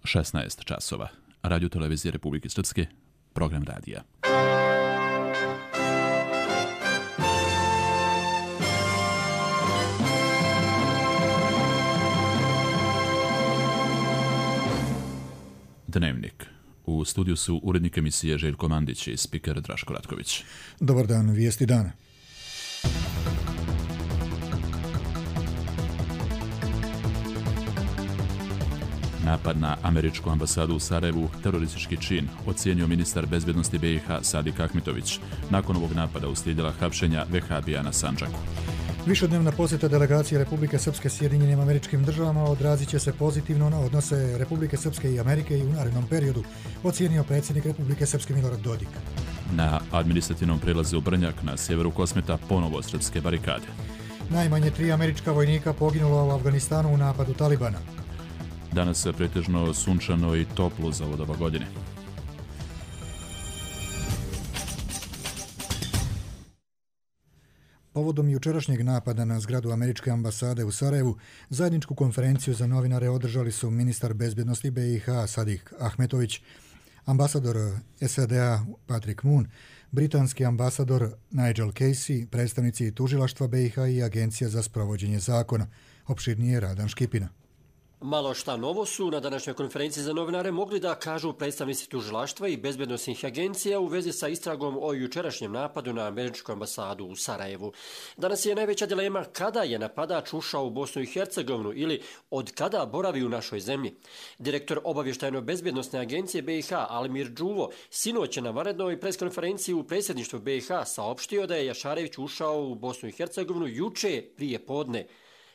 16 časova. Radio televizije Republike Srpske, program radija. Dnevnik. U studiju su urednik emisije Željko Mandić i spiker Draško Ratković. Dobar dan, vijesti dana. Napad na američku ambasadu u Sarajevu teroristički čin, ocijenio ministar bezbednosti BiH Sadik Ahmetović. Nakon ovog napada uslijedila hapšenja vehabija na Sandžaku. Višednevna posjeta delegacije Republike Srpske Sjedinjenim Američkim Državama odrazit će se pozitivno na odnose Republike Srpske i Amerike i u narednom periodu, ocijenio predsjednik Republike Srpske Milorad Dodik. Na administrativnom prelazu Brnjak na sjeveru Kosmeta ponovo srpske barikade. Najmanje 3 američka vojnika poginulo u Afganistanu u napadu Talibana. Danas je pretežno sunčano i toplo za ovo doba godine. Povodom jučerašnjeg napada na zgradu američke ambasade u Sarajevu, zajedničku konferenciju za novinare održali su ministar bezbednosti BiH Sadik Ahmetović, ambasador SAD-a Patrick Moon, britanski ambasador Nigel Casey, predstavnici tužilaštva BiH i Agencija za sprovođenje zakona. Opširnije Radan Škipina. Malo šta novo su na današnjoj konferenciji za novinare mogli da kažu predstavnici tužilaštva i bezbednosnih agencija u vezi sa istragom o jučerašnjem napadu na američku ambasadu u Sarajevu. Danas je najveća dilema kada je napadač ušao u Bosnu i Hercegovinu ili od kada boravi u našoj zemlji. Direktor obavještajno-bezbednosne agencije BiH Almir Đuvo sinoć je na vanrednoj preskonferenciji u predsjedništvu BiH saopštio da je Jašarević ušao u Bosnu i Hercegovinu juče prije podne.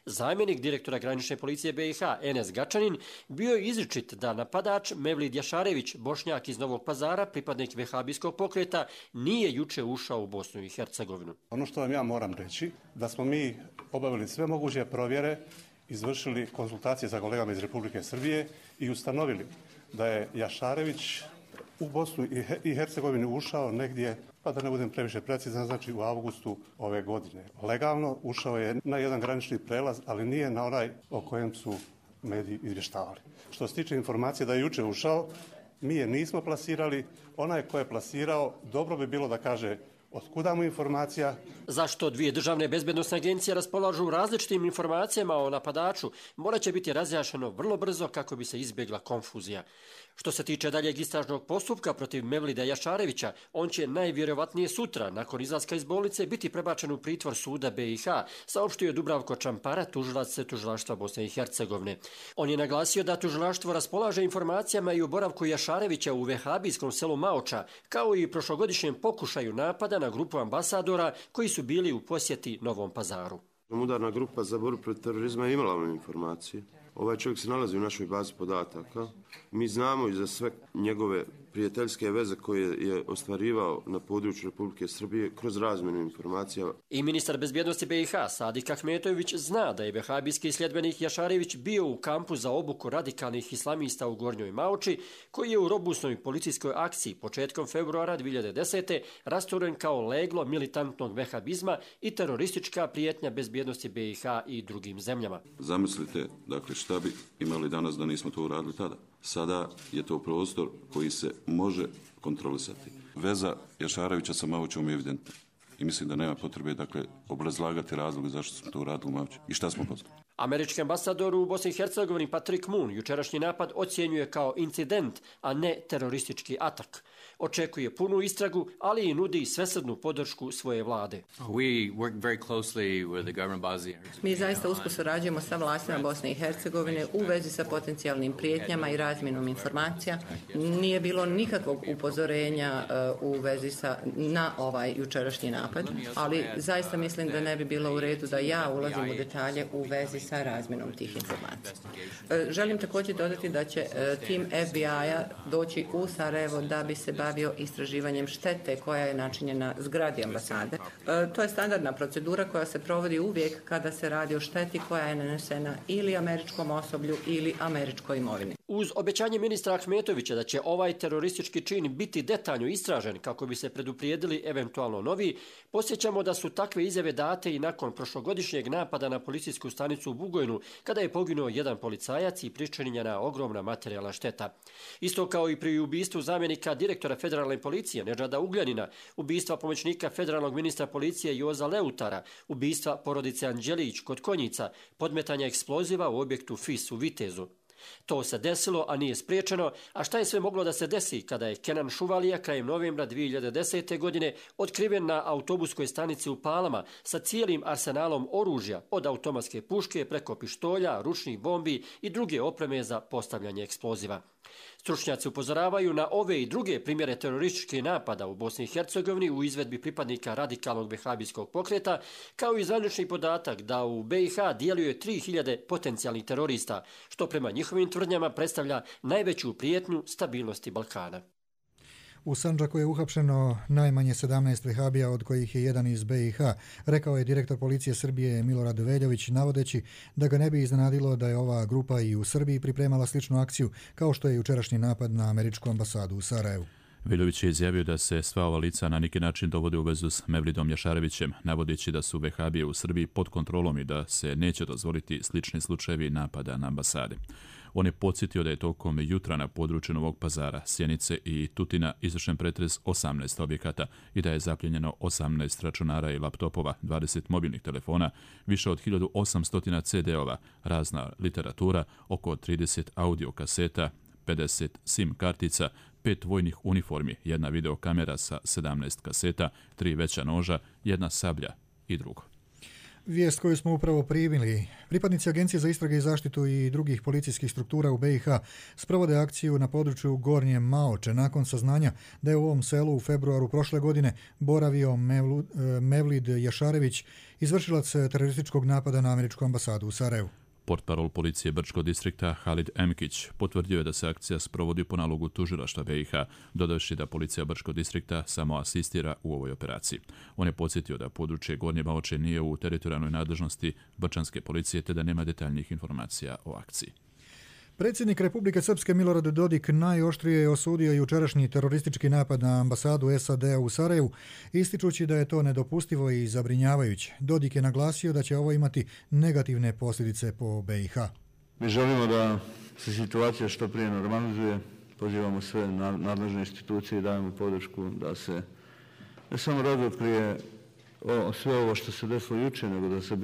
Zamjenik direktora granične policije BiH Enes Gačanin bio je izričit da napadač Mevlid Jašarević, Bošnjak iz Novog Pazara, pripadnik vehabijskog pokreta, nije juče ušao u Bosnu i Hercegovinu. Ono što vam ja moram reći, da smo mi obavili sve moguće provjere, izvršili konsultacije sa kolegama iz Republike Srbije i ustanovili da je Jašarević u Bosnu i Hercegovini ušao negdje, pa da ne budem previše precizan, znači u avgustu ove godine. Legalno ušao je na jedan granični prelaz, ali nije na onaj o kojem su mediji izvještavali. Što se tiče informacije da je juče ušao, mi je nismo plasirali. Onaj ko je plasirao, dobro bi bilo da kaže otkuda mu informacija. Zašto dvije državne bezbednosne agencije raspolažu različitim informacijama o napadaču, morat će biti razjašnjeno vrlo brzo kako bi se izbjegla konfuzija. Što se tiče daljeg istražnog postupka protiv Mevlida Jašarevića, on će najvjerovatnije sutra, nakon izlaska iz bolnice, biti prebačen u pritvor suda BiH, saopštio je Dubravko Čampara, tužilac tužilaštva Bosne i Hercegovine. On je naglasio da tužilaštvo raspolaže informacijama i o boravku Jašarevića u vehabijskom selu Maoča, kao i prošlogodišnjem pokušaju napada na grupu ambasadora koji su bili u posjeti Novom Pazaru. Udarna grupa za borbu protiv terorizma je imala informacije. Ovaj čovjek se nalazi u našoj bazi podataka. Mi znamo i za sve njegove prijateljske veze koje je ostvarivao na području Republike Srbije kroz razmjenu informacija. I ministar bezbjednosti BiH Sadik Ahmetović zna da je vehabijski sljedbenik Jašarević bio u kampu za obuku radikalnih islamista u Gornjoj Maoči, koji je u robusnoj policijskoj akciji početkom februara 2010. rasturen kao leglo militantnog vehabizma i teroristička prijetnja bezbjednosti BiH i drugim zemljama. Zamislite, dakle, šta bi imali danas da nismo to uradili tada? Sada je to prostor koji se može kontrolisati. Veza Jašarevića sa Maočom je evidentna. I mislim da nema potrebe, dakle, obrazlagati razloge zašto smo to uradili u Maoči i šta smo poznali. Američki ambasador u Bosni i Hercegovini Patrick Moon jučerašnji napad ocjenjuje kao incident, a ne teroristički atak. Očekuje punu istragu, ali i nudi svesrdnu podršku svoje vlade. Mi zaista usko surađujemo sa vlastima Bosne i Hercegovine u vezi sa potencijalnim prijetnjama i razmjenom informacija. Nije bilo nikakvog upozorenja u vezi na ovaj jučerašnji napad, ali zaista mislim da ne bi bilo u redu da ja ulazim u detalje u vezi sa razmjenom tih informacija. Želim također dodati da će tim FBI-a doći u Sarajevo da bi se bavio istraživanjem štete koja je načinjena zgradi ambasade. To je standardna procedura koja se provodi uvijek kada se radi o šteti koja je nanesena ili američkom osoblju ili američkoj imovini. Uz obećanje ministra Ahmetovića da će ovaj teroristički čin biti detaljno istražen kako bi se preduprijedili eventualno novi, posjećamo da su takve izjave date i nakon prošlogodišnjeg napada na policijsku stanicu u Bugojnu, kada je poginuo jedan policajac i pričinjena ogromna materijalna šteta. Isto kao i pri ubistvu zamjenika direktora federalne policije Nedžada Ugljanina, ubistva pomoćnika federalnog ministra policije Joza Leutara, ubistva porodice Anđelić kod Konjica, podmetanja eksploziva u objektu FIS u Vitezu. To se desilo, a nije spriječeno, a šta je sve moglo da se desi kada je Kenan Šuvalija krajem novembra 2010. godine otkriven na autobuskoj stanici u Palama sa cijelim arsenalom oružja od automatske puške preko pištolja, ručnih bombi i druge opreme za postavljanje eksploziva. Stručnjaci upozoravaju na ove i druge primjere terorističkih napada u Bosni i Hercegovini u izvedbi pripadnika radikalnog vehabijskog pokreta, kao i zvanični podatak da u BiH djeluje 3000 potencijalnih terorista, što prema njihovim tvrdnjama predstavlja najveću prijetnju stabilnosti Balkana. U Sandžaku je uhapšeno najmanje 17 vehabija, od kojih je jedan iz BiH, rekao je direktor policije Srbije Milorad Veljović, navodeći da ga ne bi iznenadilo da je ova grupa i u Srbiji pripremala sličnu akciju kao što je jučerašnji napad na američku ambasadu u Sarajevu. Veljović je izjavio da se sva ova lica na neki način dovode u vezu s Mevlidom Jašarevićem, navodeći da su vehabije u Srbiji pod kontrolom i da se neće dozvoliti slični slučajevi napada na ambasade. On je podsjetio da je tokom jutra na području Novog Pazara, Sjenice i Tutina izvršen pretres 18 objekata i da je zapljenjeno 18 računara i laptopova, 20 mobilnih telefona, više od 1800 CD-ova, razna literatura, oko 30 audio kaseta, 50 SIM kartica, 5 vojnih uniformi, jedna videokamera sa 17 kaseta, 3 veća noža, jedna sablja i drugo. Vijest koju smo upravo primili. Pripadnici Agencije za istrage i zaštitu i drugih policijskih struktura u BiH sprovode akciju na području Gornje Maoče nakon saznanja da je u ovom selu u februaru prošle godine boravio Mevlid Jašarević, izvršilac terorističkog napada na američku ambasadu u Sarajevu. Portparol policije Brčkog distrikta Halid Emkić potvrdio je da se akcija sprovodi po nalogu tužilaštva BiH, dodavši da policija Brčkog distrikta samo asistira u ovoj operaciji. On je podsjetio da područje Gornje Maoče nije u teritorijalnoj nadležnosti brčanske policije te da nema detaljnih informacija o akciji. Predsjednik Republike Srpske Milorad Dodik najoštrije je osudio jučerašnji teroristički napad na ambasadu SAD-a u Sarajevu, ističući da je to nedopustivo i zabrinjavajuće. Dodik je naglasio da će ovo imati negativne posljedice po BiH. Mi želimo da se situacija što prije normalizuje, pozivamo sve nadležne institucije i dajemo podršku da se ne samo razotkrije sve ovo što se desilo jučer, nego da se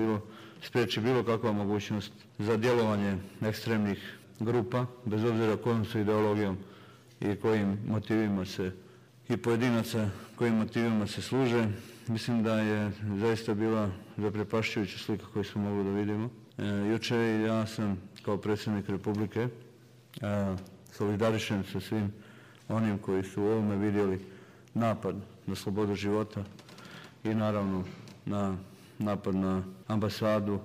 spriječi bilo kakva mogućnost za djelovanje ekstremnih grupa, bez obzira kojom su ideologijom i kojim motivima se i pojedinaca kojim motivima se služe. Mislim da je zaista bila zaprepašćujuća slika koju smo mogli da vidimo. Jučer ja sam kao predsjednik Republike solidarišen sa svim onim koji su u ovome vidjeli napad na slobodu života i naravno na napad na ambasadu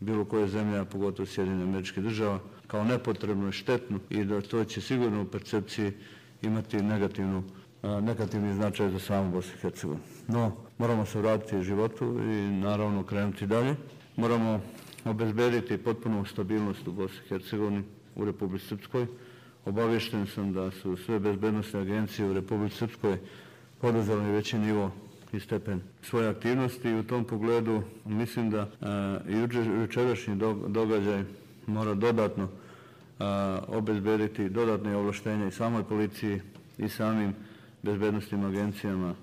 bilo koje zemlje, a pogotovo Sjedinjenih Američkih Država, kao nepotrebno i štetno i da to će sigurno u percepciji imati negativni značaj za samu Bosnu i Hercegovinu. No, moramo se vratiti životu i naravno krenuti dalje. Moramo obezbediti potpunu stabilnost u Bosni i Hercegovini, u Republici Srpskoj. Obavješten sam da su sve bezbednosne agencije u Republici Srpskoj poduzeli veći nivo i stepen svoje aktivnosti i u tom pogledu mislim da jučerašnji događaj mora dodatno obezbediti dodatne ovlaštenja i samoj policiji i samim bezbednosnim agencijama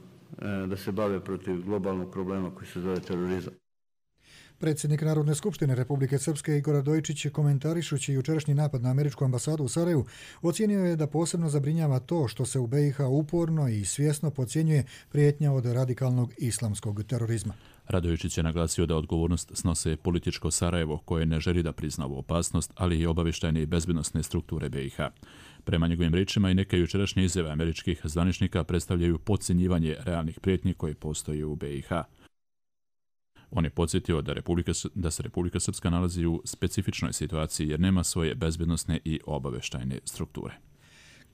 da se bave protiv globalnog problema koji se zove terorizam. Predsjednik Narodne skupštine Republike Srpske Igor Radojičić, komentarišući jučerašnji napad na američku ambasadu u Sarajevu, ocijenio je da posebno zabrinjava to što se u BiH uporno i svjesno podcjenjuje prijetnja od radikalnog islamskog terorizma. Radojičić je naglasio da odgovornost snose političko Sarajevo koje ne želi da prizna ovu opasnost, ali i obavještajne i bezbednosne strukture BiH. Prema njegovim riječima i neke jučerašnje izjave američkih zvaničnika predstavljaju podcjenjivanje realnih prijetnji koje postoje u BiH. On je podsjetio da se Republika Srpska nalazi u specifičnoj situaciji jer nema svoje bezbednosne i obavještajne strukture.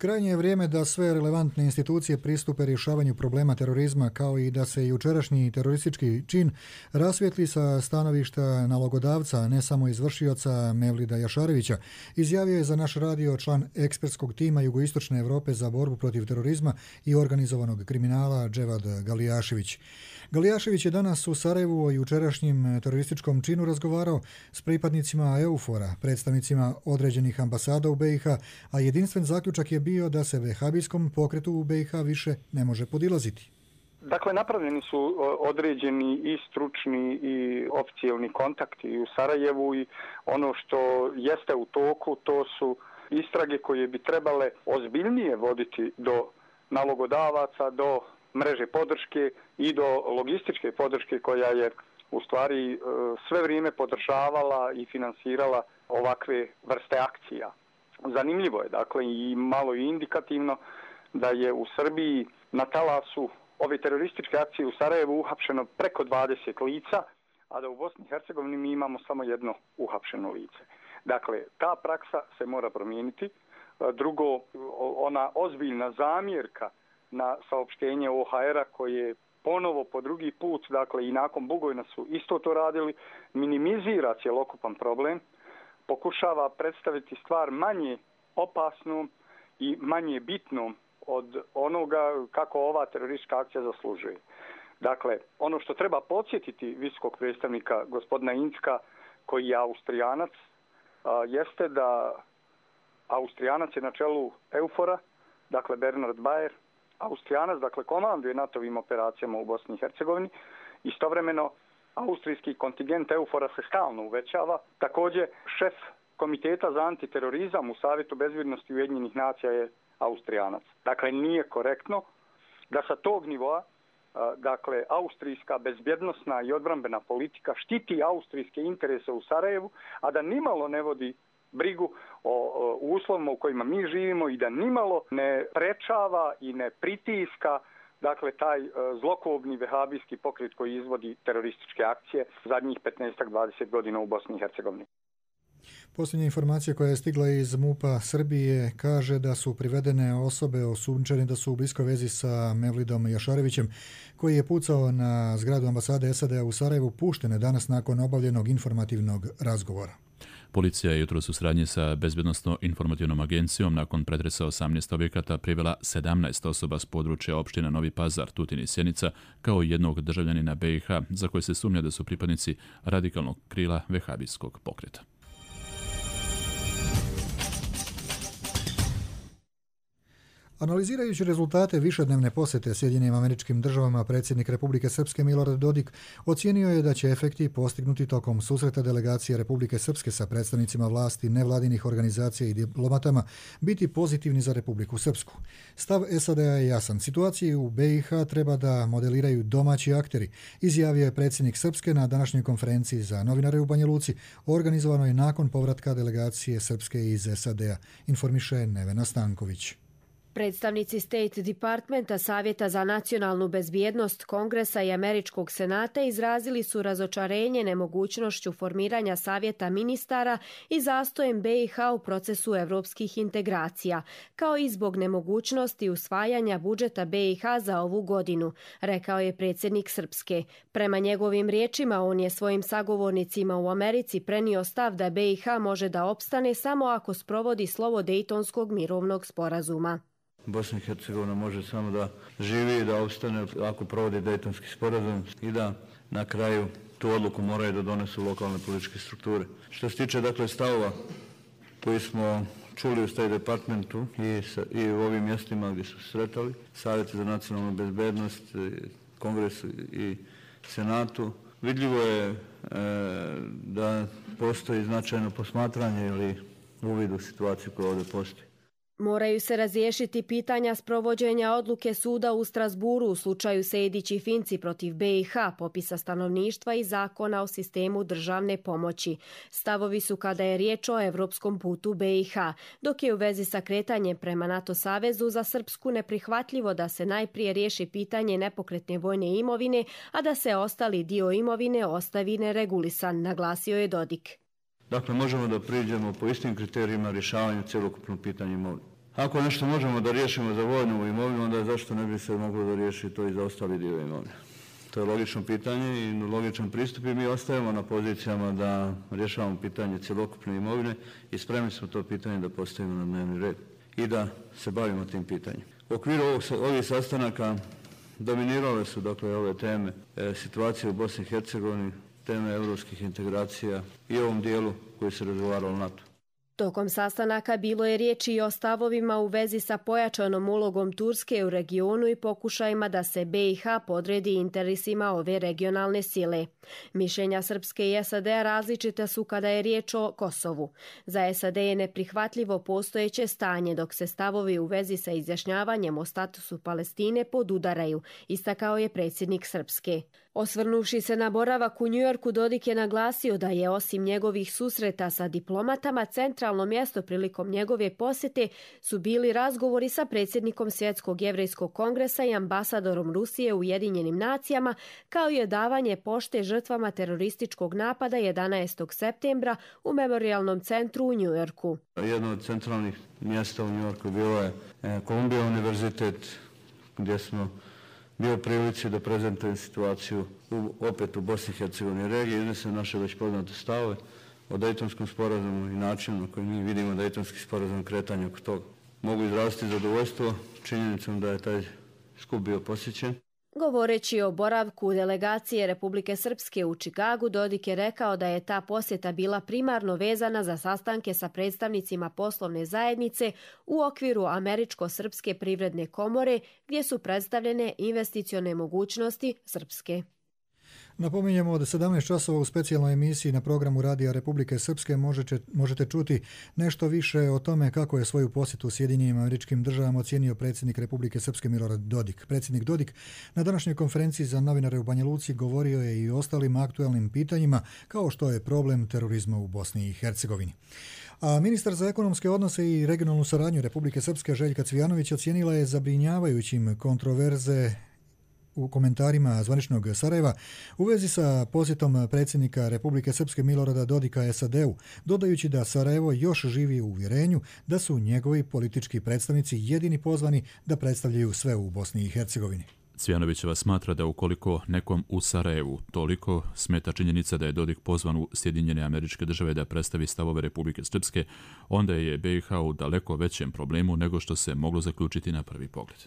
Krajnje je vrijeme da sve relevantne institucije pristupe rješavanju problema terorizma, kao i da se jučerašnji teroristički čin rasvijetli sa stanovišta nalogodavca, ne samo izvršioca Mevlida Jašarevića, izjavio je za naš radio član ekspertskog tima Jugoistočne Europe za borbu protiv terorizma i organizovanog kriminala Dževad Galijašević. Galijašević je danas u Sarajevu o jučerašnjem terorističkom činu razgovarao s pripadnicima EUFOR-a, predstavnicima određenih ambasada u BiH, a jedinstven zaključak je bio da se vehabijskom pokretu u BiH više ne može podilaziti. Dakle, napravljeni su određeni i stručni i oficijalni kontakti u Sarajevu i ono što jeste u toku, to su istrage koje bi trebale ozbiljnije voditi do nalogodavaca, do mreže podrške i do logističke podrške koja je u stvari sve vrijeme podržavala i finansirala ovakve vrste akcija. Zanimljivo je, dakle, i malo i indikativno da je u Srbiji na talasu ove terorističke akcije u Sarajevu uhapšeno preko 20 lica, a da u Bosni i Hercegovini mi imamo samo jedno uhapšeno lice. Dakle, ta praksa se mora promijeniti. Drugo, ona ozbiljna zamjerka na saopštenje OHR-a koje ponovo po drugi put, dakle i nakon Bugojna su isto to radili, minimizira cjelokupan problem, pokušava predstaviti stvar manje opasnom i manje bitnom od onoga kako ova teroristička akcija zaslužuje. Dakle, ono što treba podsjetiti visokog predstavnika gospodina Incka, koji je Austrijanac, jeste da Austrijanac je na čelu EUFOR-a, dakle Bernhard Bayer, Austrijanac, dakle komanduje NATO-vim operacijama u Bosni i Hercegovini. Istovremeno, austrijski kontingent EUFOR-a se stalno uvećava. Također, šef Komiteta za antiterorizam u Savjetu bezbjednosti Ujedinjenih nacija je Austrijanac. Dakle, nije korektno da sa tog nivoa, dakle, austrijska bezbjednosna i odbrambena politika štiti austrijske interese u Sarajevu, a da nimalo ne vodi brigu o uslovima u kojima mi živimo i da nimalo ne prečava i ne pritiska, dakle, taj zlokobni vehabijski pokret koji izvodi terorističke akcije zadnjih 15-20 godina u Bosni i Hercegovini. Posljednja informacija koja je stigla iz MUP-a Srbije kaže da su privedene osobe osumnjičene da su u bliskoj vezi sa Mevlidom Jašarevićem, koji je pucao na zgradu ambasade SAD-a u Sarajevu, puštene danas nakon obavljenog informativnog razgovora. Policija je jutros u suradnji sa Bezbjednosno-informativnom agencijom nakon pretresa 18 objekata privela 17 osoba s područja opština Novi Pazar, Tutin i Sjenica, kao i jednog državljanina BiH za koje se sumnja da su pripadnici radikalnog krila vehabijskog pokreta. Analizirajući rezultate višednevne posjete Sjedinjenim Američkim Državama, predsjednik Republike Srpske Milorad Dodik ocijenio je da će efekti postignuti tokom susreta delegacije Republike Srpske sa predstavnicima vlasti, nevladinih organizacija i diplomatama biti pozitivni za Republiku Srpsku. Stav SAD-a je jasan. Situaciju u BiH treba da modeliraju domaći akteri, izjavio je predsjednik Srpske na današnjoj konferenciji za novinare u Banja Luci, organizovanoj nakon povratka delegacije Srpske iz SAD-a, informiše Nevena Stanković. Predstavnici State Departmenta, Savjeta za nacionalnu bezbjednost, Kongresa i Američkog senata izrazili su razočarenje nemogućnošću formiranja Savjeta ministara i zastojem BiH u procesu evropskih integracija, kao i zbog nemogućnosti usvajanja budžeta BiH za ovu godinu, rekao je predsjednik Srpske. Prema njegovim riječima, on je svojim sagovornicima u Americi prenio stav da BiH može da opstane samo ako sprovodi slovo Dejtonskog mirovnog sporazuma. Bosna i Hercegovina može samo da živi i da opstane ako provodi Dejtonski sporazum i da na kraju tu odluku moraju da donesu lokalne političke strukture. Što se tiče dakle stavova koji smo čuli u State Departmentu i u ovim mjestima gdje su sretali, Savjeti za nacionalnu bezbednost, Kongresu i Senatu, vidljivo je da postoji značajno posmatranje ili uvid u situaciju koja ovdje postoji. Moraju se razriješiti pitanja sprovođenja odluke suda u Strasburu u slučaju Sejdić i Finci protiv BiH, popisa stanovništva i zakona o sistemu državne pomoći. Stavovi su kada je riječ o evropskom putu BiH, dok je u vezi sa kretanjem prema NATO savezu za Srpsku neprihvatljivo da se najprije riješi pitanje nepokretne vojne imovine, a da se ostali dio imovine ostavi neregulisan, naglasio je Dodik. Dakle, možemo da priđemo po istim kriterijima rješavanju cjelokupnog pitanja imovine. Ako nešto možemo da riješimo za vojnu imovinu, onda zašto ne bi se moglo da riješi to i za ostali dio imovine? To je logično pitanje i logičan pristup i mi ostajemo na pozicijama da rješavamo pitanje cjelokupne imovine i spremni smo to pitanje da postavimo na dnevni red i da se bavimo tim pitanjem. U okviru ovih sastanaka dominirale su dakle ove teme situacije u Bosni i Hercegovini, teme europskih integracija i ovom dijelu koji se razgovaralo o NATO. Tokom sastanaka bilo je riječi i o stavovima u vezi sa pojačanom ulogom Turske u regionu i pokušajima da se BiH podredi interesima ove regionalne sile. Mišljenja Srpske i SAD-a različita su kada je riječ o Kosovu. Za SAD je neprihvatljivo postojeće stanje, dok se stavovi u vezi sa izjašnjavanjem o statusu Palestine podudaraju, istakao je predsjednik Srpske. Osvrnuši se na boravak u Njujorku, Dodik je naglasio da je osim njegovih susreta sa diplomatama, centralno mjesto prilikom njegove posjete su bili razgovori sa predsjednikom Svjetskog jevrejskog kongresa i ambasadorom Rusije u Ujedinjenim nacijama, kao i davanje pošte žrtvama terorističkog napada 11. septembra u Memorijalnom centru u Njujorku. Jedno od centralnih mjesta u Njujorku bilo je Columbia univerzitet, gdje smo bio prilici da prezentujem situaciju opet u Bosni i Hercegovini regiji, iznesem naše već poznate stavove o Dejtonskom sporazumu i načinu na koji mi vidimo Dejtonski sporazum kretanja oko toga. Mogu izraziti zadovoljstvo činjenicom da je taj skup bio posjećen. Govoreći o boravku delegacije Republike Srpske u Čikagu, Dodik je rekao da je ta posjeta bila primarno vezana za sastanke sa predstavnicima poslovne zajednice u okviru Američko-srpske privredne komore, gdje su predstavljene investicione mogućnosti Srpske. Napominjemo od 17 časova u specijalnoj emisiji na programu Radija Republike Srpske možete čuti nešto više o tome kako je svoju posjetu Sjedinjenim Američkim Državama ocijenio predsjednik Republike Srpske Milorad Dodik. Predsjednik Dodik na današnjoj konferenciji za novinare u Banja Luci govorio je i o ostalim aktualnim pitanjima kao što je problem terorizma u Bosni i Hercegovini. A ministar za ekonomske odnose i regionalnu saradnju Republike Srpske Željka Cvijanović ocijenila je zabrinjavajućim kontroverze u komentarima zvaničnog Sarajeva u vezi sa posjetom predsjednika Republike Srpske Milorada Dodika SAD-u, dodajući da Sarajevo još živi u uvjerenju da su njegovi politički predstavnici jedini pozvani da predstavljaju sve u Bosni i Hercegovini. Cvijanovićeva smatra da ukoliko nekom u Sarajevu toliko smeta činjenica da je Dodik pozvan u Sjedinjene Američke Države da predstavi stavove Republike Srpske, onda je BiH u daleko većem problemu nego što se moglo zaključiti na prvi pogled.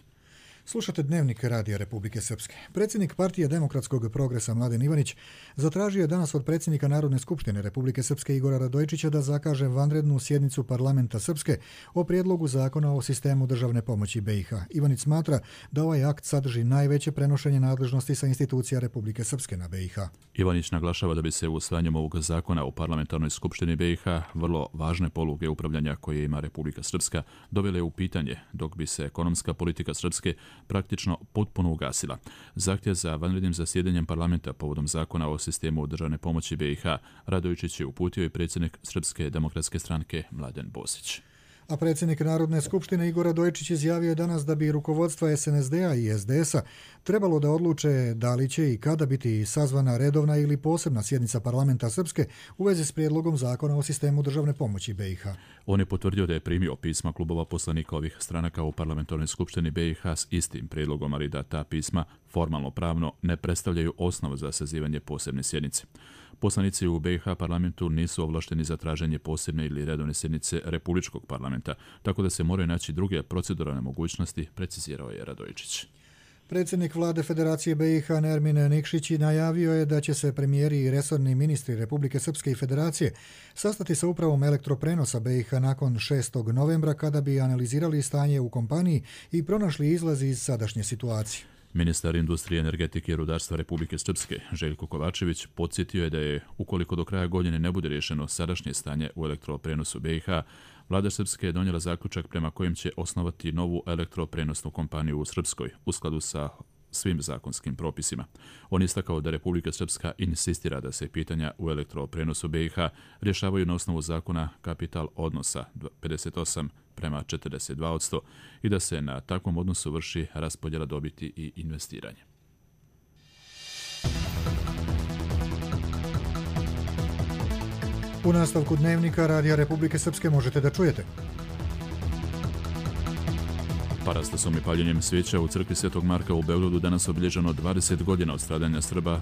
Slušate Dnevnik Radija Republike Srpske. Predsjednik Partije demokratskog progresa Mladen Ivanić zatražio je danas od predsjednika Narodne skupštine Republike Srpske Igora Radojičića da zakaže vanrednu sjednicu parlamenta Srpske o prijedlogu zakona o sistemu državne pomoći BiH. Ivanić smatra da ovaj akt sadrži najveće prenošenje nadležnosti sa institucija Republike Srpske na BiH. Ivanić naglašava da bi se usvajanjem ovog zakona u parlamentarnoj skupštini BiH vrlo važne poluge upravljanja koje ima Republika Srpska dovele u pitanje, dok bi se ekonomska politika Srpske praktično potpuno ugasila. Zahtjev za vanrednim zasjedanjem parlamenta povodom zakona o sistemu državne pomoći BiH Radojičić je uputio i predsjednik Srpske demokratske stranke Mladen Bosić. A predsjednik Narodne skupštine Igor Radojičić izjavio je danas da bi rukovodstva SNSD-a i SDS-a trebalo da odluče da li će i kada biti sazvana redovna ili posebna sjednica parlamenta Srpske u vezi s prijedlogom zakona o sistemu državne pomoći BiH. On je potvrdio da je primio pisma klubova poslanika ovih stranaka u parlamentarnoj skupštini BiH s istim prijedlogom, ali da ta pisma formalno pravno ne predstavljaju osnovu za sazivanje posebne sjednice. Poslanici u BiH parlamentu nisu ovlašteni za traženje posebne ili redovne sjednice Republičkog parlamenta, tako da se moraju naći druge proceduralne mogućnosti, precizirao je Radojičić. Predsjednik vlade Federacije BiH Nermin Nikšić najavio je da će se premijeri i resorni ministri Republike Srpske i Federacije sastati sa upravom elektroprenosa BiH nakon 6. novembra kada bi analizirali stanje u kompaniji i pronašli izlaz iz sadašnje situacije. Ministar industrije, energetike i rudarstva Republike Srpske Željko Kovačević podsjetio je da je, ukoliko do kraja godine ne bude rješeno sadašnje stanje u elektroprenosu BiH, vlada Srpske je donijela zaključak prema kojem će osnovati novu elektroprenosnu kompaniju u Srpskoj u skladu sa svim zakonskim propisima. On istakao da Republika Srpska insistira da se pitanja u elektroprenosu BiH rješavaju na osnovu zakona kapital odnosa 58:42% i da se na takvom odnosu vrši raspodjela dobiti i investiranje. U nastavku Dnevnika Radija Republike Srpske možete da čujete. Parastasom i paljenjem svijeća u crkvi Svetog Marka u Beogradu danas obilježeno 20 godina od stradanja Srba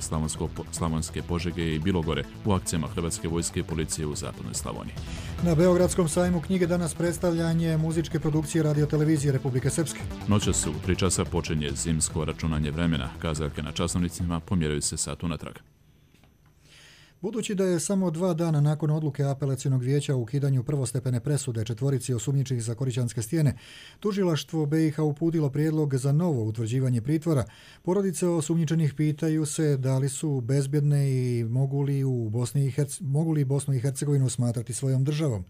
Slavonske Požege i Bilogore u akcijama Hrvatske vojske i policije u zapadnoj Slavoniji. Na Beogradskom sajmu knjige danas predstavljanje muzičke produkcije radiotelevizije Republike Srpske. Noćas u 3 časa počinje zimsko računanje vremena. Kazaljke na časovnicima pomjeraju se sat unatrag. Budući da je samo 2 dana nakon odluke apelacionog vijeća o ukidanju prvostepene presude četvorici osumnjičenih za Korićanske stijene, tužilaštvo BiH uputilo prijedlog za novo utvrđivanje pritvora. Porodice osumnjičenih pitaju se da li su bezbjedne i mogu li Bosnu i Hercegovinu smatrati svojom državom.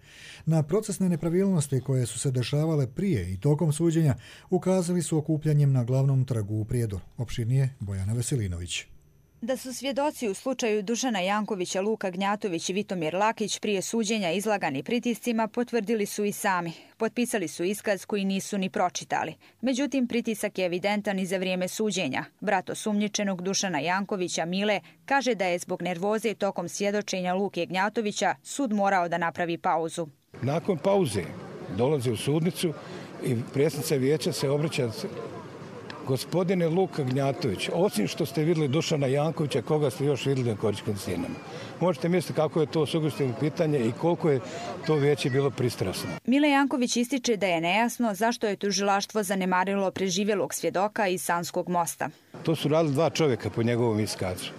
Na procesne nepravilnosti koje su se dešavale prije i tokom suđenja ukazali su okupljanjem na glavnom trgu u Prijedoru. Opširnije Bojana Veselinović. Da su svjedoci u slučaju Dušana Jankovića, Luka Gnjatović i Vitomir Lakić prije suđenja izlagani pritiscima potvrdili su i sami. Potpisali su iskaz koji nisu ni pročitali. Međutim, pritisak je evidentan i za vrijeme suđenja. Brat osumnjičenog Dušana Jankovića, Mile, kaže da je zbog nervoze tokom svjedočenja Luke Gnjatovića sud morao da napravi pauzu. Nakon pauze dolazi u sudnicu i predsjednica vijeća se obraća: gospodine Luka Gnjatović, osim što ste vidjeli Dušana Jankovića, koga ste još vidjeli na Korićanskim stijenama? Možete misliti kako je to sugestivno pitanje i koliko je to vijeće bilo pristrasno. Mile Janković ističe da je nejasno zašto je tužilaštvo zanemarilo preživjelog svjedoka iz Sanskog mosta. To su radili 2 čovjeka po njegovom iskazu.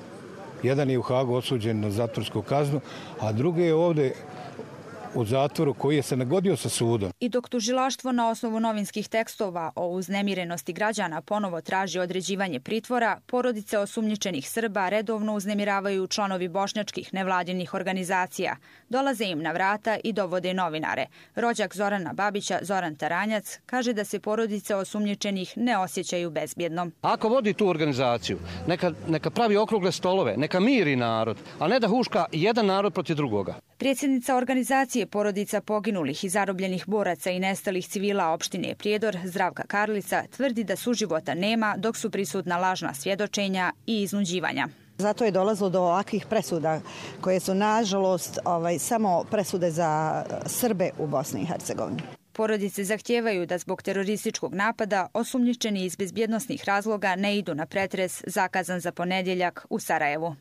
Jedan je u Hagu osuđen na zatvorsku kaznu, a drugi je ovdje u zatvoru koji je se nagodio sa sudom. I dok tužilaštvo na osnovu novinskih tekstova o uznemirenosti građana ponovo traži određivanje pritvora, porodice osumnjičenih Srba redovno uznemiravaju članovi bošnjačkih nevladinih organizacija. Dolaze im na vrata i dovode novinare. Rođak Zorana Babića, Zoran Taranjac, kaže da se porodice osumnjičenih ne osjećaju bezbjedno. Ako vodi tu organizaciju, neka pravi okrugle stolove, neka miri narod, a ne da huška jedan narod protiv drugoga. Predsjednica organizacije porodica poginulih i zarobljenih boraca i nestalih civila opštine Prijedor, Zdravka Karlica, tvrdi da suživota nema dok su prisutna lažna svjedočenja i iznuđivanja. Zato je dolazilo do ovakvih presuda koje su nažalost samo presude za Srbe u Bosni i Hercegovini. Porodice zahtijevaju da zbog terorističkog napada osumnjičeni iz bezbjednosnih razloga ne idu na pretres zakazan za ponedjeljak u Sarajevu.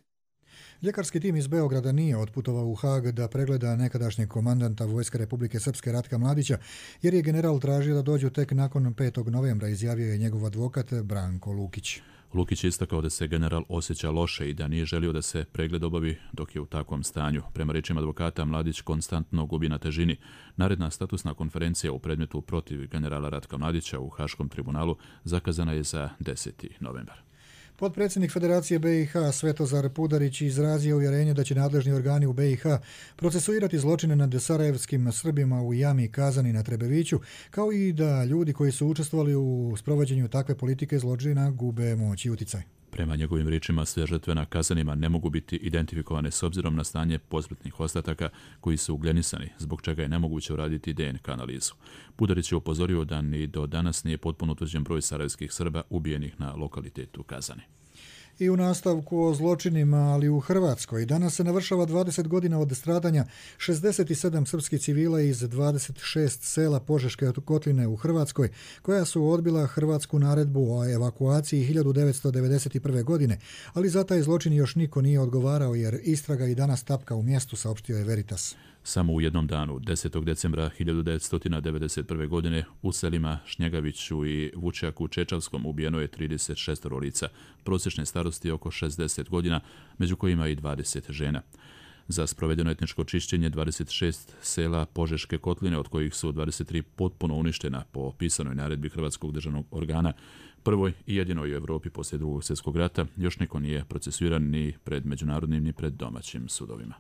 Ljekarski tim iz Beograda nije otputovao u Hag da pregleda nekadašnjeg komandanta Vojske Republike Srpske Ratka Mladića, jer je general tražio da dođu tek nakon 5. novembra, izjavio je njegov advokat Branko Lukić. Lukić je istakao da se general osjeća loše i da nije želio da se pregled obavi dok je u takvom stanju. Prema rečima advokata, Mladić konstantno gubi na težini. Naredna statusna konferencija u predmetu protiv generala Ratka Mladića u Haškom tribunalu zakazana je za 10. novembar. Potpredsjednik Federacije BiH Svetozar Pudarić izrazio uvjerenje da će nadležni organi u BiH procesuirati zločine nad sarajevskim Srbima u jami Kazani na Trebeviću, kao i da ljudi koji su učestvovali u sprovođenju takve politike zločina gube moć i uticaj. Prema njegovim riječima, sve žrtve na Kazanima ne mogu biti identifikovane s obzirom na stanje posmrtnih ostataka koji su ugljenisani, zbog čega je nemoguće uraditi DNK analizu. Pudarić je upozorio da ni do danas nije potpuno utvrđen broj sarajevskih Srba ubijenih na lokalitetu Kazani. I u nastavku o zločinima, ali u Hrvatskoj. Danas se navršava 20 godina od stradanja 67 srpskih civila iz 26 sela Požeške kotline u Hrvatskoj, koja su odbila hrvatsku naredbu o evakuaciji 1991. godine, ali za taj zločin još niko nije odgovarao jer istraga i danas tapka u mjestu, saopštio je Veritas. Samo u jednom danu, 10. decembra 1991. godine, u selima Šnjegaviću i Vučjaku Čečavskom ubijeno je 36 lica, prosječne starosti oko 60 godina, među kojima i 20 žena. Za sprovedeno etničko čišćenje 26 sela Požeške kotline, od kojih su 23 potpuno uništena po pisanoj naredbi Hrvatskog državnog organa, prvoj i jedinoj u Europi poslije Drugog svjetskog rata, još niko nije procesuiran ni pred međunarodnim ni pred domaćim sudovima.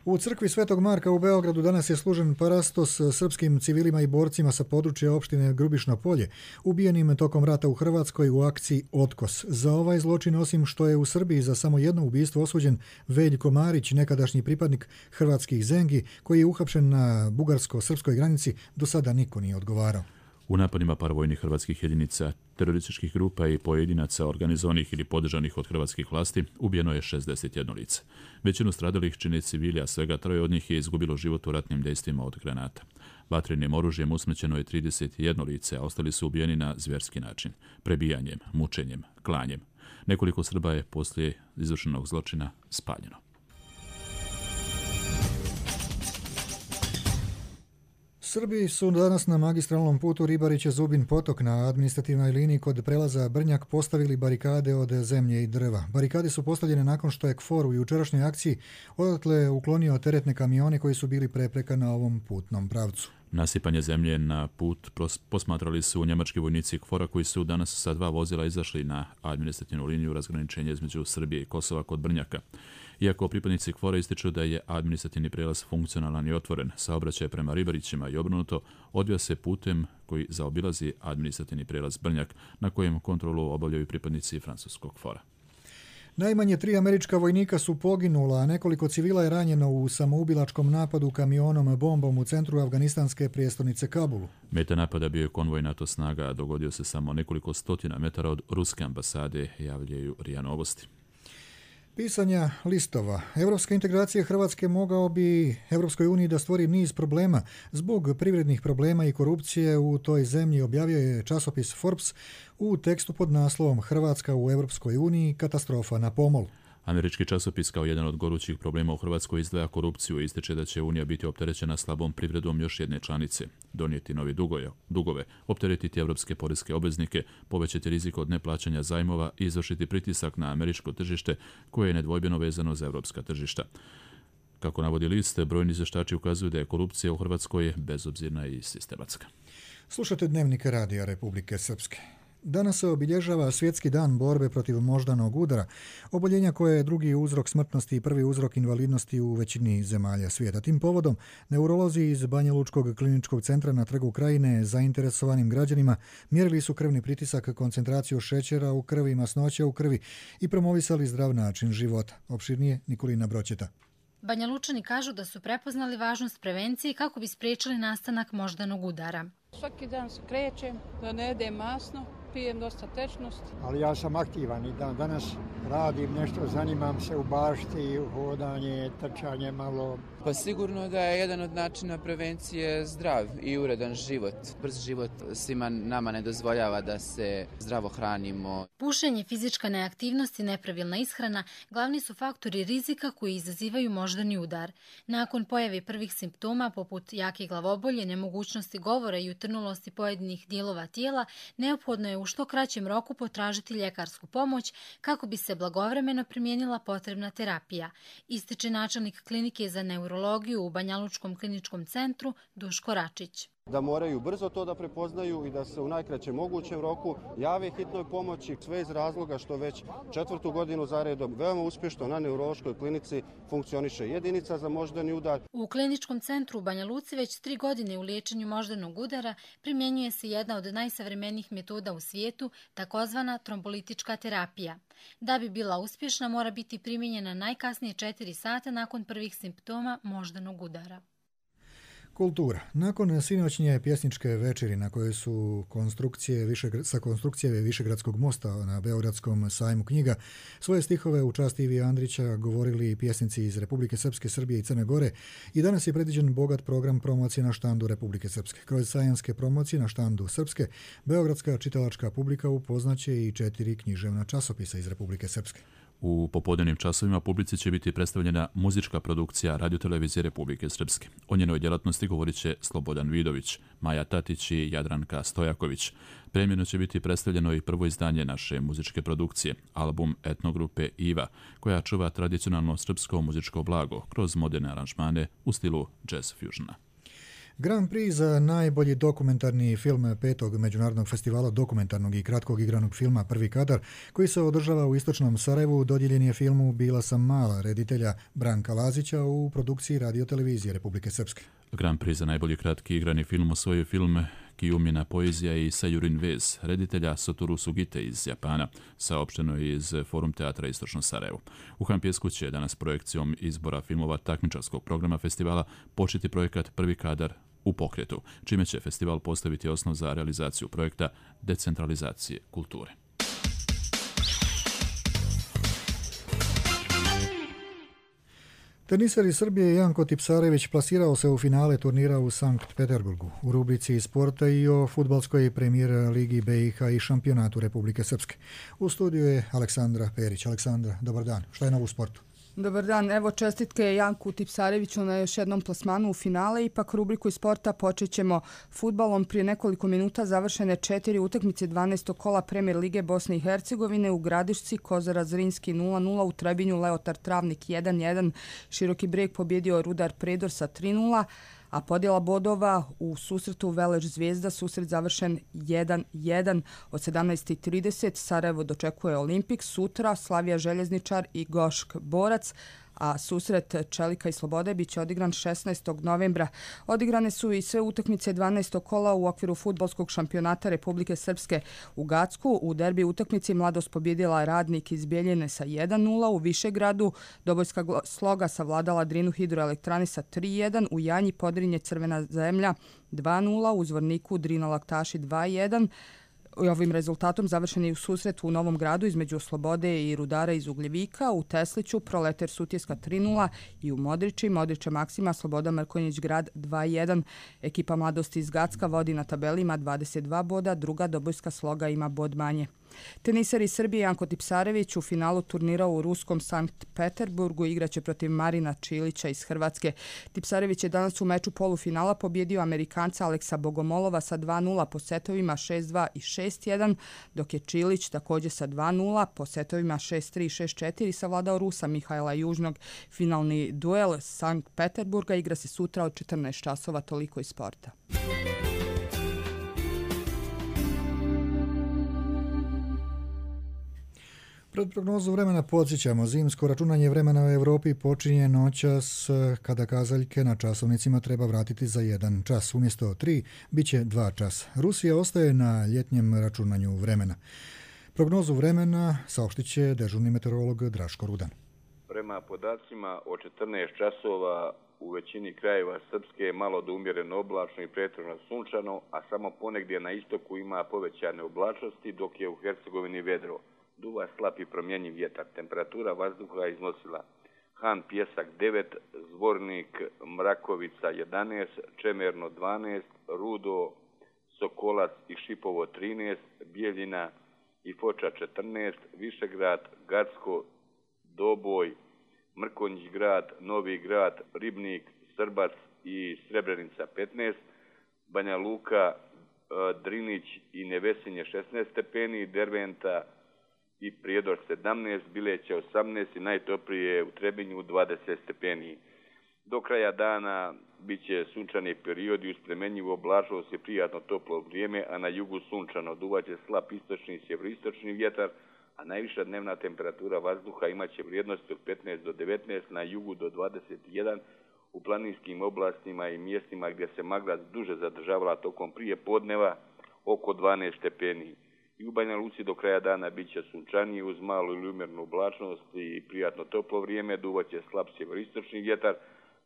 U crkvi Svetog Marka u Beogradu danas je služen parastos srpskim civilima i borcima sa područja opštine Grubišno polje, ubijenim tokom rata u Hrvatskoj u akciji Otkos. Za ovaj zločin, osim što je u Srbiji za samo jedno ubistvo osuđen Veljko Marić, nekadašnji pripadnik hrvatskih Zengi, koji je uhapšen na bugarsko-srpskoj granici, do sada niko nije odgovarao. U napadima paravojnih hrvatskih jedinica, terorističkih grupa i pojedinaca organizovanih ili podržanih od hrvatskih vlasti ubijeno je 61 lice. Većinu stradalih čine civili, a svega 3 od njih je izgubilo život u ratnim dejstvima od granata. Vatrenim oružjem usmrćeno je 31 lice, a ostali su ubijeni na zvjerski način, prebijanjem, mučenjem, klanjem. Nekoliko Srba je poslije izvršenog zločina spaljeno. Srbi su danas na magistralnom putu Ribariće-Zubin potok na administrativnoj liniji kod prelaza Brnjak postavili barikade od zemlje i drva. Barikade su postavljene nakon što je KFOR u jučerašnjoj akciji odatle uklonio teretne kamione koji su bili prepreka na ovom putnom pravcu. Nasipanje zemlje na put posmatrali su njemački vojnici KFOR-a koji su danas sa 2 vozila izašli na administrativnu liniju razgraničenja između Srbije i Kosova kod Brnjaka. Iako pripadnici KFOR-a ističu da je administrativni prijelaz funkcionalan i otvoren, saobraćaj prema Ribarićima i obrnuto odvija se putem koji zaobilazi administrativni prijelaz Brnjak, na kojem kontrolu obavljaju pripadnici francuskog KFOR-a. Najmanje 3 američka vojnika su poginula, a nekoliko civila je ranjeno u samoubilačkom napadu kamionom bombom u centru afganistanske prijestolnice Kabulu. Meta napada bio je konvoj NATO snaga, a dogodio se samo nekoliko stotina metara od ruske ambasade, javljaju RIA Novosti. Pisanja listova. Evropska integracija Hrvatske mogao bi Evropskoj uniji da stvori niz problema. Zbog privrednih problema i korupcije u toj zemlji objavio je časopis Forbes u tekstu pod naslovom Hrvatska u Evropskoj uniji, katastrofa na pomolu. Američki časopis kao jedan od gorućih problema u Hrvatskoj izdvaja korupciju i ističe da će Unija biti opterećena slabom privredom još jedne članice, donijeti novi dugove, opteretiti evropske poreske obveznike, povećati rizik od neplaćanja zajmova i izvršiti pritisak na američko tržište koje je nedvojbeno vezano za evropska tržišta. Kako navodi list, brojni izvještači ukazuju da je korupcija u Hrvatskoj bezobzirna i sistematska. Slušate Dnevnik Radija Republike Srpske. Danas se obilježava Svjetski dan borbe protiv moždanog udara, oboljenja koje je drugi uzrok smrtnosti i prvi uzrok invalidnosti u većini zemalja svijeta. Tim povodom, neurolozi iz Banja Lučkog kliničkog centra na Trgu Krajine zainteresovanim građanima mjerili su krvni pritisak, koncentraciju šećera u krvi, masnoće u krvi i promovisali zdrav način života. Opširnije Nikolina Broćeta. Banja Lučani kažu da su prepoznali važnost prevencije kako bi spriječili nastanak moždanog udara. Svaki dan se krećem, da ne jedem masno, pijem dosta tečnosti. Ali ja sam aktivan i dan danas radim nešto, zanimam se u bašti, hodanje, trčanje malo. Pa sigurno da je jedan od načina prevencije zdrav i uredan život. Brz život svima nama ne dozvoljava da se zdravo hranimo. Pušenje, fizička neaktivnost i nepravilna ishrana glavni su faktori rizika koji izazivaju moždani udar. Nakon pojave prvih simptoma poput jake glavobolje, nemogućnosti govora i utrnulosti pojedinih dijelova tijela, neophodno je u što kraćem roku potražiti ljekarsku pomoć kako bi se blagovremeno primijenila potrebna terapija, ističe načelnik klinike za neurologiju u Banja Lučkom kliničkom centru Duško Račić. Da moraju brzo to da prepoznaju i da se u najkraćem mogućem roku jave hitnoj pomoći, sve iz razloga što već 4. godinu zaredom veoma uspješno na neurološkoj klinici funkcioniše jedinica za moždani udar. U kliničkom centru u Banja Luci već 3 godine u liječenju moždanog udara primjenjuje se jedna od najsavremenijih metoda u svijetu, takozvana trombolitička terapija. Da bi bila uspješna, mora biti primijenjena najkasnije 4 sata nakon prvih simptoma moždanog udara. Kultura. Nakon sinoćnje pjesničke večeri na kojoj su sa konstrukcije Višegradskog mosta na Beogradskom sajmu knjiga svoje stihove u čast Ivi Andrića govorili pjesnici iz Republike Srpske, Srbije i Crne Gore i danas je predviđen bogat program promocije na štandu Republike Srpske. Kroz sajanske promocije na štandu Srpske, beogradska čitalačka publika upoznaće i 4 književna časopisa iz Republike Srpske. U popodnevnim časovima publici će biti predstavljena muzička produkcija Radiotelevizije Republike Srpske. O njenoj djelatnosti govorit će Slobodan Vidović, Maja Tatić i Jadranka Stojaković. Premijerno će biti predstavljeno i prvo izdanje naše muzičke produkcije, album etnogrupe Iva, koja čuva tradicionalno srpsko muzičko blago kroz moderne aranžmane u stilu jazz fusiona. Grand Prix za najbolji dokumentarni film 5. Međunarodnog festivala dokumentarnog i kratkog igranog filma Prvi kadar, koji se održava u istočnom Sarajevu, dodijeljen je filmu Bila sam mala reditelja Branka Lazića u produkciji Radiotelevizije Republike Srpske. Grand Prix za najbolji kratki igrani film osvojio film Kijumina poezija i Sajurin vez, reditelja Satoru Sugite iz Japana, saopšteno je iz Forum teatra Istočno Sarajevo. U Hampjesku će danas projekcijom izbora filmova takmičarskog programa festivala početi projekat Prvi kadar u pokretu, čime će festival postaviti osnov za realizaciju projekta decentralizacije kulture. Teniser iz Srbije Janko Tipsarević plasirao se u finale turnira u Sankt Peterburgu u rubrici sporta i o fudbalskoj premijer ligi BiH i šampionatu Republike Srpske. U studiju je Aleksandra Perić. Aleksandra, dobar dan. Šta je novo u sportu? Dobar dan, evo čestitke Janku Tipsareviću na još jednom plasmanu u finale. Ipak rubriku iz sporta počet ćemo fudbalom. Prije nekoliko minuta završene 4 utakmice 12. kola Premijer lige Bosne i Hercegovine u Gradišci, Kozara Zrinski 0-0, u Trebinju Leotar Travnik 1-1, Široki Brijeg pobjedio Rudar Predor sa 3-0, a podjela bodova u susretu Veleš Zvijezda, susret završen 1-1 od 17:30. Sarajevo dočekuje Olimpik, sutra Slavija Željezničar i Gošk Borac, a susret Čelika i Slobode biće odigran 16. novembra. Odigrane su i sve utakmice 12. kola u okviru fudbalskog šampionata Republike Srpske u Gacku. U derbi utakmici Mladost pobjedila Radnik iz Bijeljine sa 1-0. U Višegradu Dobojska Sloga savladala Drinu hidroelektrani sa 3-1. U Janji Podrinje Crvena zemlja 2-0. U Zvorniku Drina Laktaši 2-1. Ovim rezultatom završen je u susretu u Novom Gradu između Slobode i Rudara iz Ugljevika, u Tesliću Proleter Sutjeska 3-0 i u Modriče Maksima Sloboda Mrkonjić Grad 2-1. Ekipa Mladosti iz Gacka vodi na tabeli, ima 22 boda, druga Dobojska Sloga ima bod manje. Teniser iz Srbije Janko Tipsarević u finalu turnira u ruskom Sankt Peterburgu igraće protiv Marina Čilića iz Hrvatske. Tipsarević je danas u meču polufinala pobjedio Amerikanca Aleksa Bogomolova sa 2-0 po setovima 6-2 i 6-1, dok je Čilić također sa 2-0 po setovima 6-3 i 6-4 savladao Rusa Mihajla Južnog. Finalni duel Sankt Peterburga igra se sutra od 14 časova, toliko iz sporta. Pred prognozu vremena podsjećamo, zimsko računanje vremena u Evropi počinje noćas kada kazaljke na časovnicima treba vratiti za 1 čas. Umjesto 3 bit će 2 časa. Rusija ostaje na ljetnjem računanju vremena. Prognozu vremena saopštit će dežurni meteorolog Draško Rudan. Prema podacima o 14 časova u većini krajeva Srpske je malo do umjereno oblačno i pretežno sunčano, a samo ponegdje na istoku ima povećane oblačnosti, dok je u Hercegovini vedro. Duva slab i promjenjiv vjetar. Temperatura vazduha iznosila Han Pjesak 9, Zvornik Mrakovica 11, Čemerno 12, Rudo, Sokolac i Šipovo 13, Bijeljina i Foča 14, Višegrad, Gacko, Doboj, Mrkonjić grad, Novi grad, Ribnik, Srbac i Srebrenica 15, Banja Luka, Drinić i Nevesinje 16 stepeni, Derventa i Prijedor 17, Bileća 18 i najtoplije u Trebinju 20 stepeni. Do kraja dana bit će sunčani periodi uz premenjivu oblačnost i prijatno toplo vrijeme, a na jugu sunčano. Duvaće slab istočni i sjeveroistočni vjetar, a najviša dnevna temperatura vazduha imaće vrijednosti od 15 do 19, na jugu do 21, u planinskim oblastima i mjestima gdje se magla duže zadržavala tokom prije podneva oko 12 stepeni. I u Banja Luci do kraja dana bit će sunčanije uz malu ili umjernu oblačnost i prijatno toplo vrijeme, duvaće slab sjeveroistočni vjetar,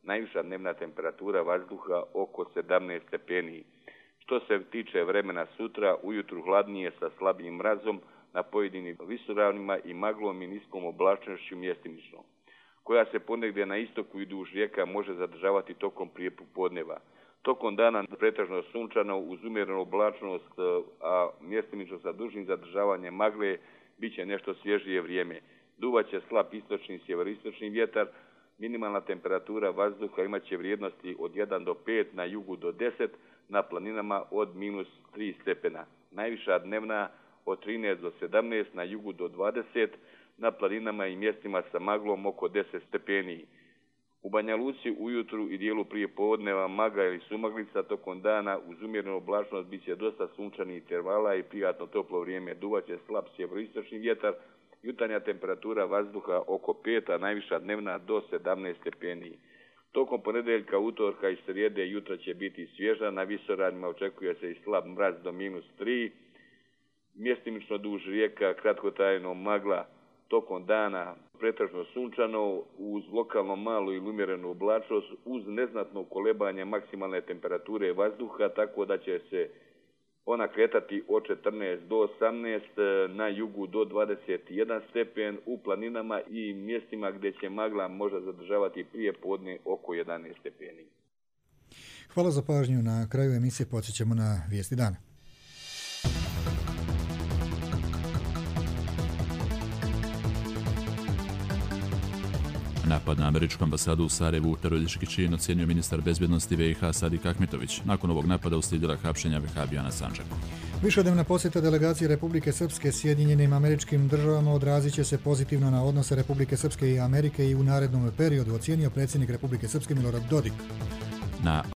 najviša dnevna temperatura vazduha oko 17 stepeni. Što se tiče vremena sutra, ujutru hladnije sa slabijim mrazom na pojedinim visoravnima i maglom i niskom oblačnošću mjestimično, koja se ponegdje na istoku i duž rijeka može zadržavati tokom prije podneva. Tokom dana pretežno sunčano uz umjerenu oblačnost, a mjestimično sa dužim zadržavanjem magle bit će nešto svježije vrijeme. Duvaće slab istočni i sjeveroistočni vjetar, minimalna temperatura vazduha imat će vrijednosti od 1 do 5, na jugu do 10, na planinama od -3 stepena. Najviša dnevna od 13 do 17, na jugu do 20, na planinama i mjestima sa maglom oko 10 stepeni. U Banja Luci ujutru i dijelu prije podneva magla ili sumaglica, tokom dana uz umjerenu oblačnost bit će dosta sunčanih intervala i prijatno toplo vrijeme. Duvaće slab sjeveroistočni vjetar, jutarnja temperatura vazduha oko 5, a najviša dnevna do 17 stepeni. Tokom ponedjeljka, utorka i srijede jutra će biti svježa, na visoravnima očekuje se i slab mraz do -3, mjestimično duž rijeka kratkotrajno magla tokom dana pretežno sunčano, uz lokalno malu ili umjerenu oblačnost, uz neznatno kolebanje maksimalne temperature vazduha, tako da će se ona kretati od 14 do 18, na jugu do 21 stepen, u planinama i mjestima gdje će magla možda zadržavati prije podne oko 11 stepeni. Hvala za pažnju. Na kraju emisije podsjećamo na vijesti dana. Napad na američku ambasadu u Sarajevu teroristički čin ocenio ministar bezbjednosti BiH Sadik Ahmetović. Nakon ovog napada uslijedila hapšenja vehabija na Sandžaku. Višednevna posjeta delegacije Republike Srpske Sjedinjenim Američkim Državama odrazit će se pozitivno na odnose Republike Srpske i Amerike i u narednom periodu, ocijenio predsjednik Republike Srpske Milorad Dodik. Na